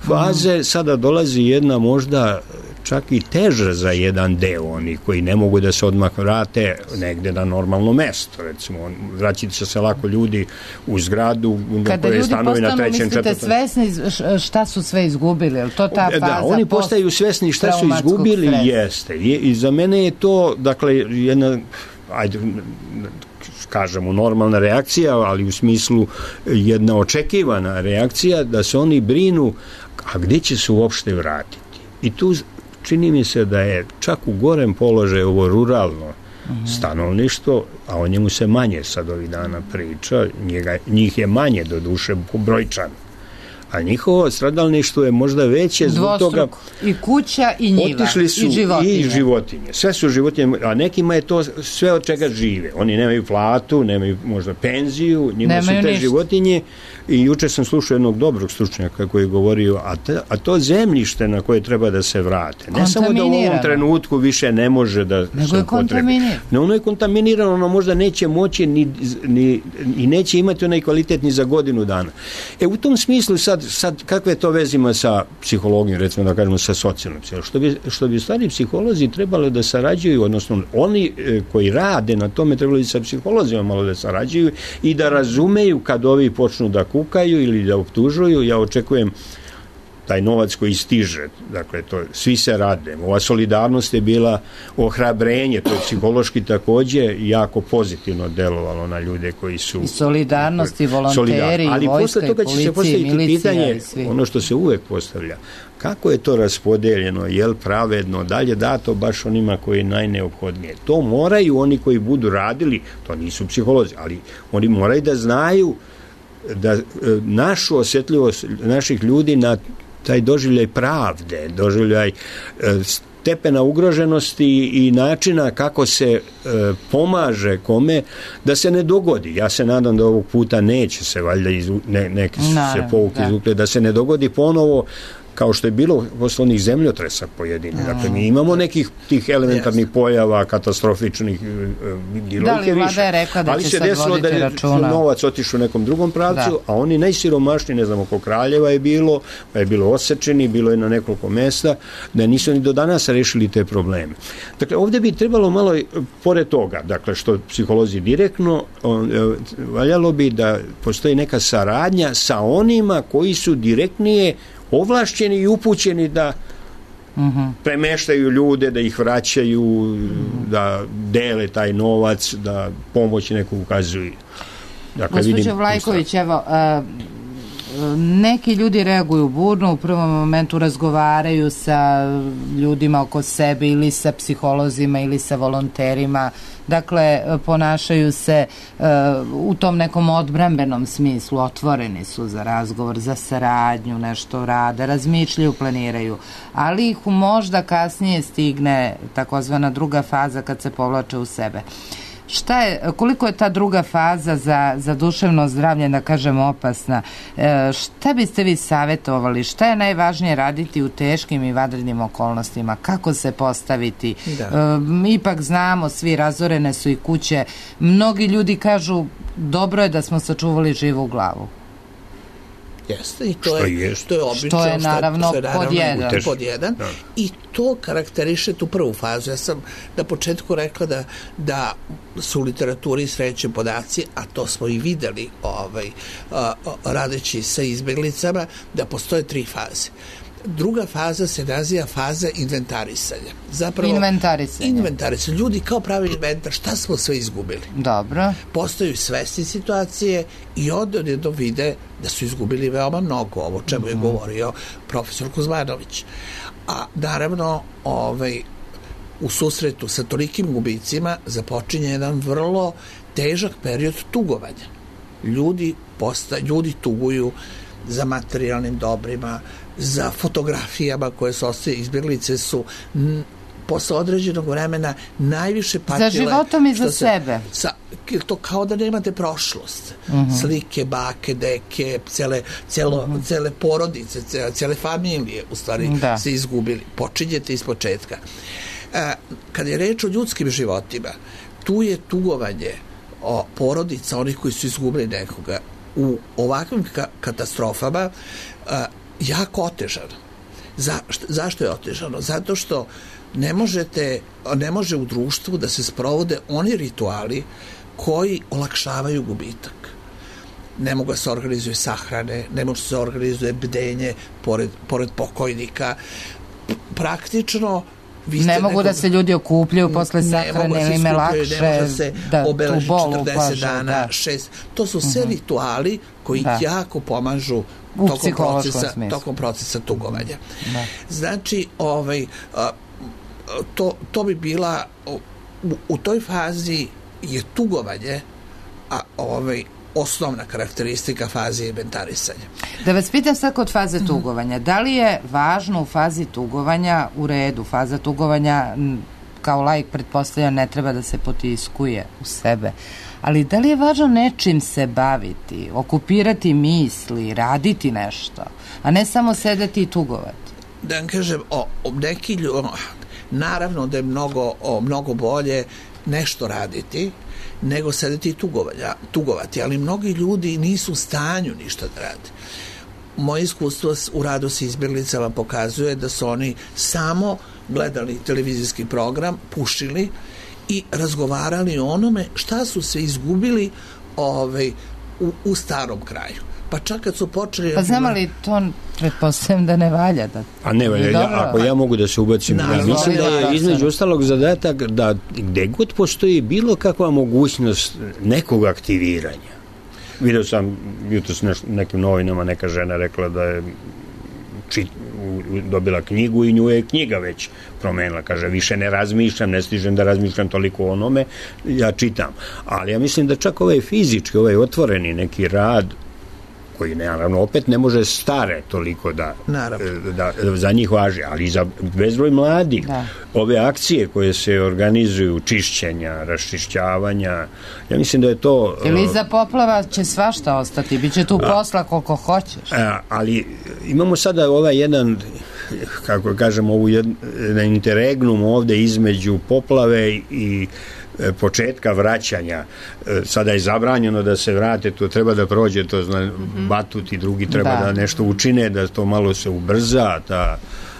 faze mm. sada dolazi jedna možda čak i teža za jedan deo, oni koji ne mogu da se odmah vrate negde na normalno mesto. Recimo, vraćati će se lako ljudi u zgradu kada koje stanovi na trećem, četvrtom. Kada ljudi postanu, mislite, svesni šta su sve izgubili? Je li to ta faza? Da, oni postaju svesni šta su izgubili, stresa. Jeste. I, I za mene je to, dakle, jedna, ajde, kažemo, normalna reakcija, ali u smislu jedna očekivana reakcija da se oni brinu, a gde će se uopšte vratiti? I tu čini mi se da je čak u gorem položaju ovo ruralno uh-huh. stanovništvo, a o njemu se manje sad ovih dana priča, njega, njih je manje do duše brojčano. A njihovo stradalništvo je možda veće zbog toga... I kuća i njiva, otišli su i životinje. I životinje. Sve su životinje, a nekima je to sve od čega žive. Oni nemaju platu, nemaju možda penziju, njima nemaju su te ništa. Životinje. I juče sam slušao jednog dobrog stručnjaka koji je govorio, a, te, a to zemljište na koje treba da se vrate. Ne samo da u ovom trenutku više ne može da nego se je kontaminirano. Ne, ono je kontaminirano, ono možda neće moći ni, ni, i neće imati onaj kvalitet ni za godinu dana. E, u tom smislu sad, sad kakve to veze ima sa psihologijom, recimo da kažemo sa socijalnom psihologijom? Što bi, što bi stvari psiholozi trebalo da sarađuju, odnosno oni e, koji rade na tome trebalo sa psiholozima malo da sarađuju i da razumeju kad ovi počnu da kukaju ili da optužuju. Ja očekujem taj novac koji stiže, dakle, to, svi se rade. Ova solidarnost je bila ohrabrenje, to je psihološki takođe jako pozitivno delovalo na ljude koji su... I solidarnost i volonteri, ali i vojska, posle toga će se postaviti pitanje, ono što se uvek postavlja, kako je to raspodeljeno, je li pravedno, da li je dato baš onima koji je najneophodnije. To moraju oni koji budu radili, to nisu psiholozi, ali oni moraju da znaju da našu osjetljivost naših ljudi na taj doživljaj pravde, doživljaj stepena ugroženosti i načina kako se e, pomaže kome, da se ne dogodi. Ja se nadam da ovog puta neće se, valjda, izu, ne, neke su se pouke izvukle, da se ne dogodi ponovo kao što je bilo posle onih zemljotresa pojedini. Dakle, mi imamo nekih tih elementarnih pojava, katastrofičnih, bilo da li vlada je rekla da će sad voditi računa? Ali se desilo da je novac otišao u nekom drugom pravcu, da. A oni najsiromašniji, ne znam, oko Kraljeva je bilo, pa je bilo osečeni, bilo je na nekoliko mesta, da nisu ni do danas rešili te probleme. Dakle, ovde bi trebalo malo, pored toga, dakle, što psiholozi direktno, valjalo bi da postoji neka saradnja sa onima koji su direktnije ovlašćeni i upućeni da uh-huh. premeštaju ljude, da ih vraćaju, uh-huh. da dele taj novac, da pomoć neku ukazuju. Dakle, gospođo Vlajković, evo, uh, neki ljudi reaguju burno, u prvom momentu razgovaraju sa ljudima oko sebe ili sa psiholozima ili sa volonterima, dakle ponašaju se uh, u tom nekom odbrambenom smislu, otvoreni su za razgovor, za saradnju, nešto rade, razmišljaju, planiraju, ali ih možda kasnije stigne takozvana druga faza kad se povlače u sebe. Šta je, koliko je ta druga faza za, za duševno zdravlje, da kažemo, opasna? E, šta biste vi savjetovali? Šta je najvažnije raditi u teškim i vanrednim okolnostima? Kako se postaviti? Da. E, ipak znamo, svi razorene su i kuće. Mnogi ljudi kažu, dobro je da smo sačuvali živu glavu. Jeste, i to je, je, što je obično, što je naravno, što je naravno pod jedan. Pod jedan. Da. I to karakteriše tu prvu fazu. Ja sam na početku rekla da, da su u literaturi sreće podaci, a to smo i videli ovaj, a, radeći sa izbeglicama, da postoje tri faze. Druga faza se naziva faza inventarisanja. Zapravo, inventarisanje. Inventarisanje. Ljudi kao pravi inventar, šta smo sve izgubili. Dobro. Postaju svesni situacije i onda jedno vide da su izgubili veoma mnogo, ovo čemu je govorio profesor Kuzmanović. A naravno, ovaj, u susretu sa tolikim gubicima započinje jedan vrlo težak period tugovanja. Ljudi, posta, ljudi tuguju za materijalnim dobrima, za fotografijama koje su ostaje, izbjeglice su posle određenog vremena najviše patile... Za životom i za se, sebe. Sa, to kao da nemate prošlost. Uh-huh. Slike, bake, deke, cele, celo, uh-huh. cele porodice, cele, cele familije u stvari da. se izgubili. Počinjete iz početka. A, kad je reč o ljudskim životima, tu je tugovanje o porodica onih koji su izgubili nekoga u ovakvim ka- katastrofama a, jako otežano. Za, šta, zašto je otežano? Zato što ne možete, ne može u društvu da se sprovode oni rituali koji olakšavaju gubitak. Ne mogu da se organizuje sahrane, ne može se organizuje bdenje pored, pored pokojnika. Praktično ne mogu nekog, da se ljudi okupljaju posle sahrane, ili ime lakše ne može se da obeleži četrdeset paže, dana, da. šest. To su sve uh-huh. rituali koji da. jako pomažu u tokom procesa, tokom procesa tugovanja. Da. Znači, ovaj, to, to bi bila u, u toj fazi je tugovanje, a ovaj osnovna karakteristika faze inventarisanja. Da vas pitam sad kod faze tugovanja, da li je važno u fazi tugovanja, u redu, faza tugovanja kao laik pretpostavlja ne treba da se potiskuje u sebe, ali da li je važno nečim se baviti, okupirati misli, raditi nešto, a ne samo sedeti i tugovati? Da vam kažem, o, o neki ljudi, naravno da je mnogo, o, mnogo bolje nešto raditi, nego sedeti i tugovanja, tugovati, ali mnogi ljudi nisu u stanju ništa da rade. Moje iskustvo u radu sa izbjeglicama pokazuje da su oni samo gledali televizijski program, pušili i razgovarali o onome šta su se izgubili ovaj, u, u starom kraju. Pa čak kad su počeli... Pa znam li to, pretpostavljam da ne valja? Da... A ne valja, ja, ako ja mogu da se ubacim, na, ja mislim da je između ostalog zadatak da gde god postoji bilo kakva mogućnost nekog aktiviranja. Vidio sam jutros s nekim novinama, neka žena rekla da je čit, dobila knjigu i nju je knjiga već promenila. Kaže, više ne razmišljam, ne stižem da razmišljam toliko o onome, ja čitam. Ali ja mislim da čak ovaj fizički, ovaj otvoreni neki rad koji naravno opet ne može stare toliko da, da, da za njih važi, ali za bezbroj mladih. Da. Ove akcije koje se organizuju, čišćenja, raščišćavanja, ja mislim da je to... Ili za poplava će svašta ostati, bit će tu posla koliko hoćeš. A, ali imamo sada ovaj jedan, kako kažemo, ovu jedan interregnum ovde između poplave i početka vraćanja. Sada je zabranjeno da se vrate, to treba da prođe, to zna, mm-hmm. Batut i drugi treba da. da nešto učine, da to malo se ubrza, ta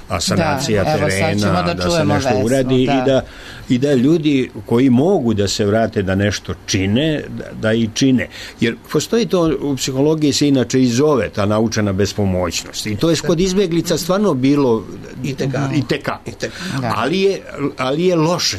asanacija da, terena, da, da se nešto vesno, uradi da. I, da, i da ljudi koji mogu da se vrate da nešto čine, da, da i čine. Jer postoji to, u psihologiji se inače i zove ta naučena bespomoćnost. I to je kod izbjeglica stvarno bilo i teka. I teka. I teka. Ali, je, ali je loše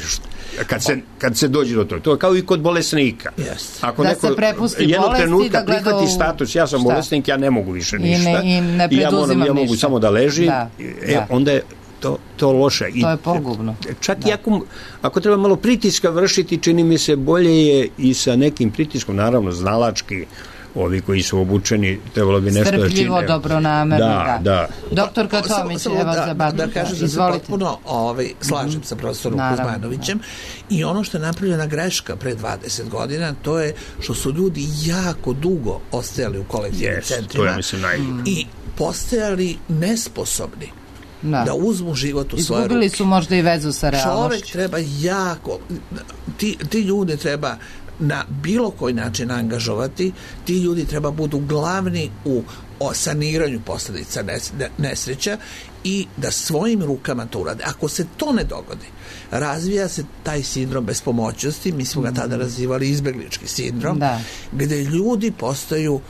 kad se, kad se dođe do toga. To je kao i kod bolesnika. Yes. Ako da neko se prepusti jednog bolesti, trenutka da gleda prihvati u... status, ja sam šta? bolesnik, ja ne mogu više ništa. I ne, i ne I ja, moram, ja mogu ništa. samo da ležim. Da. E, da. Onda je to, to loše. To je pogubno. Čak da. i ako, ako treba malo pritiska vršiti, čini mi se bolje je i sa nekim pritiskom, naravno znalački, ovi koji su obučeni, trebalo bi nešto da čine. Strpljivo, dobronamerno, da. da. Doktor Katomić, evo da, za Batut. Da kažem da se potpuno ovaj, slažem mm-hmm. sa profesorom Kuzmanovićem i ono što je napravljena greška pre dvadeset godina, to je što su ljudi jako dugo ostajali u kolektivnim yes, centrima to je, mislim, naj... i postajali nesposobni da, da uzmu život u svoje ruke. Izgubili su možda i vezu sa realnošću. Čovek treba jako, ti, ti ljude treba na bilo koji način angažovati, ti ljudi treba budu glavni u o saniranju posljedica nesreća i da svojim rukama to urade. Ako se to ne dogodi, razvija se taj sindrom bespomoćnosti, mi smo ga tada nazivali izbeglički sindrom, da. Gde ljudi postaju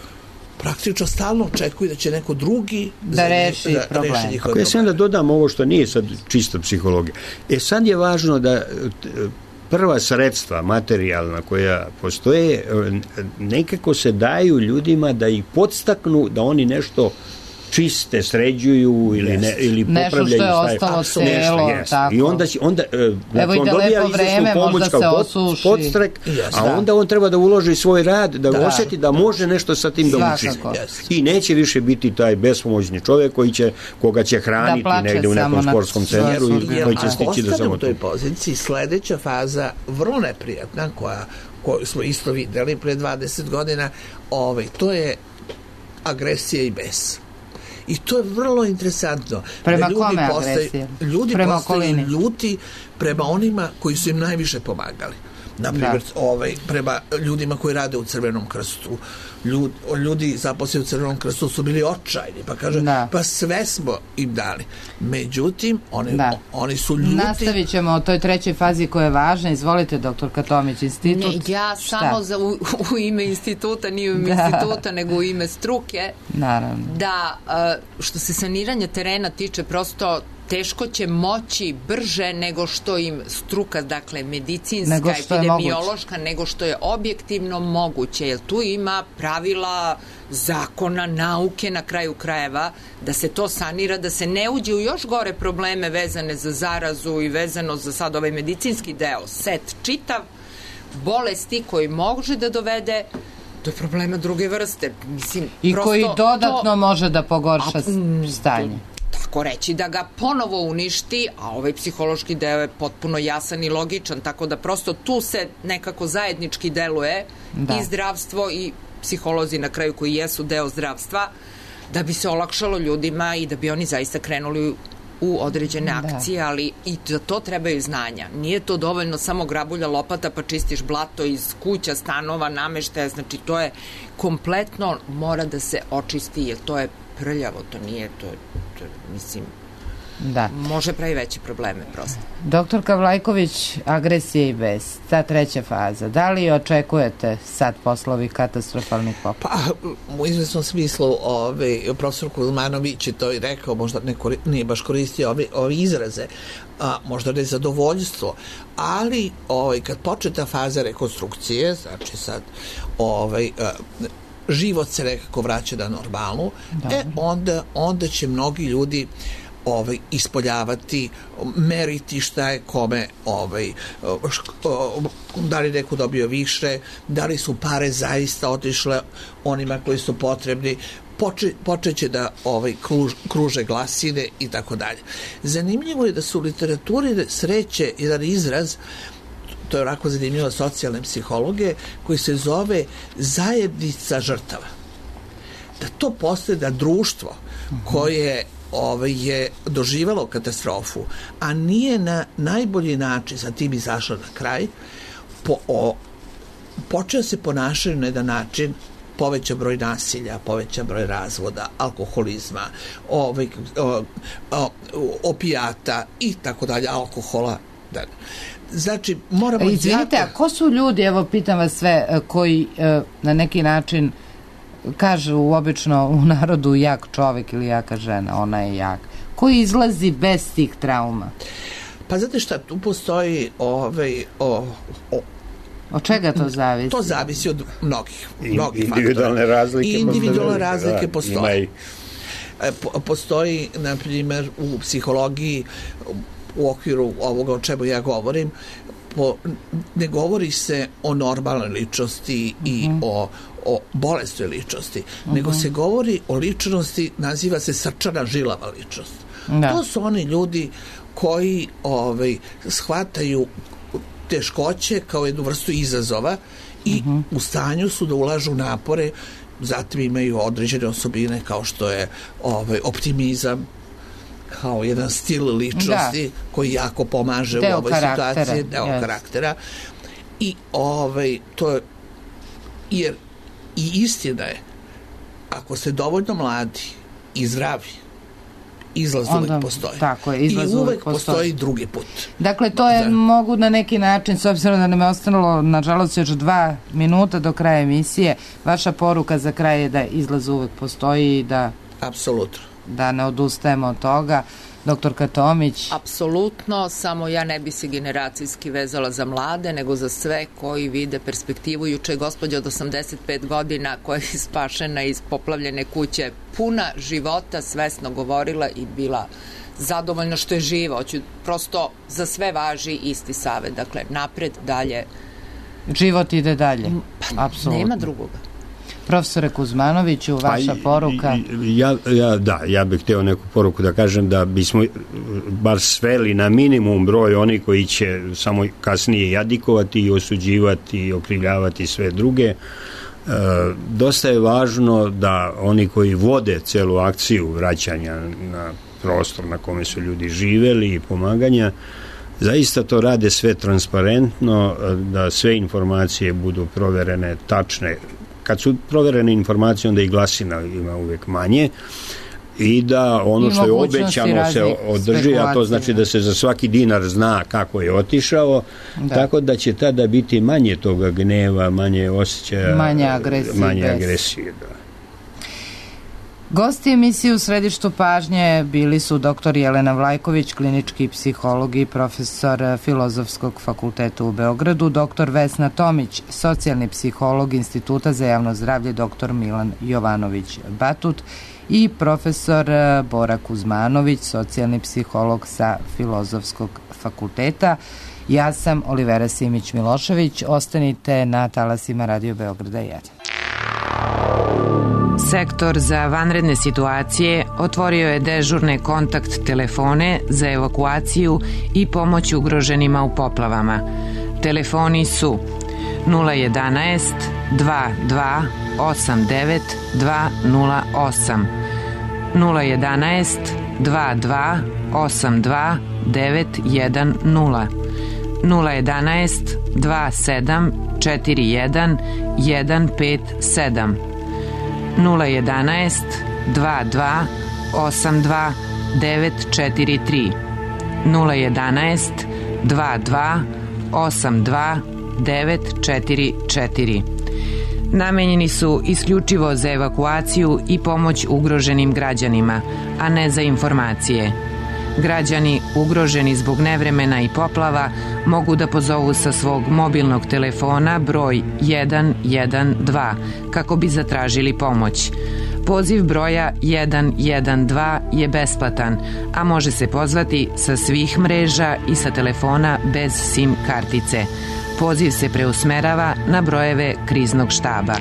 praktično stalno očekuju da će neko drugi da reši da, problem. Reši Ako ja sam da dodam ovo što nije sad čisto psihologija. E sad je važno da prva sredstva materijalna koja postoje nekako se daju ljudima da ih podstaknu da oni nešto čiste, sređuju ili, ne, ili popravljaju. Nešto što je ostalo celo, tako. I onda, onda evo i da lepo vreme, možda se osuši. Podstrek, a onda on treba da uloži svoj rad, da, da. osjeti da može nešto sa tim da učini. I neće više biti taj bespomoćni čovjek koji će, koga će hraniti negde u nekom sportskom centru i koji će stići da samo u toj poziciji. Sledeća faza, vrlo neprijatna, koja, koju smo isto videli pre dvadeset godina, ovaj, to je agresija i bes. I to je vrlo interesantno. Prema ljudi kome agresija? Ljudi prema postaju ljuti prema onima koji su im najviše pomagali. Naprimjer, ovaj, prema ljudima koji rade u Crvenom krstu. Ljud, ljudi zaposleni u Crvenom krstu su bili očajni, pa kaže, da. pa sve smo im dali. Međutim, oni, da. oni su ljuti. Nastavit ćemo o toj trećoj fazi koja je važna. Izvolite, doktorka Tomić, institut. Ne, ja Šta? samo za, u, u ime instituta, nije u ime da. instituta, nego u ime struke. Naravno. Da, što se saniranja terena tiče, prosto teško će moći brže nego što im struka, dakle medicinska, nego epidemiološka, nego što je objektivno moguće, jer tu ima pravila, zakona, nauke na kraju krajeva, da se to sanira, da se ne uđe u još gore probleme vezane za zarazu i vezano za sad ovaj medicinski deo, set čitav, bolesti koji može da dovede do problema druge vrste. Mislim, I prosto koji dodatno to, može da pogorša a, stanje. Tako reći, da ga ponovo uništi, a ovaj psihološki deo je potpuno jasan i logičan, tako da prosto tu se nekako zajednički deluje da. i zdravstvo i psiholozi na kraju koji jesu deo zdravstva, da bi se olakšalo ljudima i da bi oni zaista krenuli u određene akcije, da. ali i za to trebaju znanja. Nije to dovoljno samo grabulja lopata pa čistiš blato iz kuća, stanova, nameštaja, znači to je kompletno mora da se očisti, jer to je prljavo, to nije, to, to mislim, da. može pravi veće probleme prosto. Doktorka Vlajković, agresija i bes, ta treća faza, da li očekujete sad posle ovih katastrofalnih poplava? Pa, u izvesnom smislu, ovaj, profesor Kuzmanović je to i rekao, možda ne, nije baš koristio ove, ove izraze, a, možda nezadovoljstvo, ali ovaj, kad počne ta faza rekonstrukcije, znači sad ovaj, a, život se nekako vraća na normalnu, da. e onda, onda će mnogi ljudi ovaj, ispoljavati, meriti šta je kome, ovaj, da li neko dobio više, da li su pare zaista otišle onima koji su potrebni, Poče, počeće da ovaj, kruž, kruže glasine i tako dalje. Zanimljivo je da su u literaturi sreće jedan izraz, to je onako zanimljivo socijalne psihologe, koji se zove zajednica žrtava. Da to postoje, da društvo koje ovaj, je doživalo katastrofu, a nije na najbolji način sa tim izašlo na kraj, po, o, počeo se ponašati na jedan način, poveća broj nasilja, poveća broj razvoda, alkoholizma, ovaj, o, o, opijata i tako dalje, alkohola. Da. Znači, moramo... Izvinite, jako... a ko su ljudi, evo pitam vas sve, koji na neki način kažu obično u narodu jak čovek ili jaka žena, ona je jak. Koji izlazi bez tih trauma? Pa znate šta, tu postoji ovaj, o, o, od čega to zavisi? To zavisi od mnogih, mnogih individualne faktora. razlike. Individualne razlike da, postoje. I... Postoji, na primjer, u psihologiji, u okviru ovoga o čemu ja govorim, po, ne govori se o normalnoj ličnosti uh-huh. i o, o bolestnoj ličnosti, uh-huh. nego se govori o ličnosti, naziva se srčana žilava ličnost. Da. To su oni ljudi koji ovaj, shvataju teškoće kao jednu vrstu izazova i uh-huh. u stanju su da ulažu napore, zatim imaju određene osobine kao što je ovaj, optimizam, kao jedan stil ličnosti da. koji jako pomaže deo u ovoj karaktera. situaciji, deo yes. karaktera. I ovaj, to je, jer i istina je, ako ste dovoljno mladi i zdravi, izlaz Onda, uvek postoji. Tako je, izlaz I uvek, uvek postoji. postoji drugi put. Dakle, to je, Zar... mogu na neki način, s obzirom da nam je ostalo, nažalost, još dva minuta do kraja emisije, vaša poruka za kraj je da izlaz uvek postoji i da... Apsolutno. Da ne odustajemo od toga. Doktorka Tomić? Apsolutno, samo ja ne bi se generacijski vezala za mlade, nego za sve koji vide perspektivu. Juče je gospođa od osamdeset pet godina koja je spašena iz poplavljene kuće, puna života, svesno govorila i bila zadovoljna što je živa. Hoću, prosto za sve važi isti savet. Dakle, napred, dalje. Život ide dalje. Pa, apsolutno. Nema drugoga. Profesore Kuzmanoviću, vaša pa, poruka? Ja, ja, da, ja bih hteo neku poruku da kažem da bismo bar sveli na minimum broj oni koji će samo kasnije jadikovati i osuđivati i okrivljavati sve druge. E, dosta je važno da oni koji vode celu akciju vraćanja na prostor na kome su ljudi živeli i pomaganja, zaista to rade sve transparentno, da sve informacije budu proverene, tačne. Kad su proverene informacije, onda i glasina ima uvek manje i da ono što je obećano se održi, a to znači da se za svaki dinar zna kako je otišao, da. Tako da će tada biti manje toga gneva, manje osjećaja, manje agresije. Manje agresije, da. Gosti emisije u središtu pažnje bili su doktor Jelena Vlajković, klinički psiholog i profesor Filozofskog fakulteta u Beogradu, doktor Vesna Tomić, socijalni psiholog Instituta za javno zdravlje doktor Milan Jovanović Batut i profesor Bora Kuzmanović, socijalni psiholog sa Filozofskog fakulteta. Ja sam Olivera Simić-Milošević. Ostanite na talasima Radio Beograda jedan. Sektor za vanredne situacije otvorio je dežurne kontakt telefone za evakuaciju i pomoć ugroženima u poplavama. Telefoni su nula jedanaest dva dva osam devet dva nula osam, nula jedanaest dva dva osam dva devet jedan nula, nula jedanaest dva sedam četiri jedan jedan pet sedam, nula jedanaest dva dva osam dva devet četiri tri, nula jedanaest dva dva osam dva devet četiri četiri. Namenjeni su isključivo za evakuaciju i pomoć ugroženim građanima, a ne za informacije. Građani ugroženi zbog nevremena i poplava mogu da pozovu sa svog mobilnog telefona broj jedan jedan dva kako bi zatražili pomoć. Poziv broja jedan jedan dva je besplatan, a može se pozvati sa svih mreža i sa telefona bez SIM kartice. Poziv se preusmerava na brojeve kriznog štaba.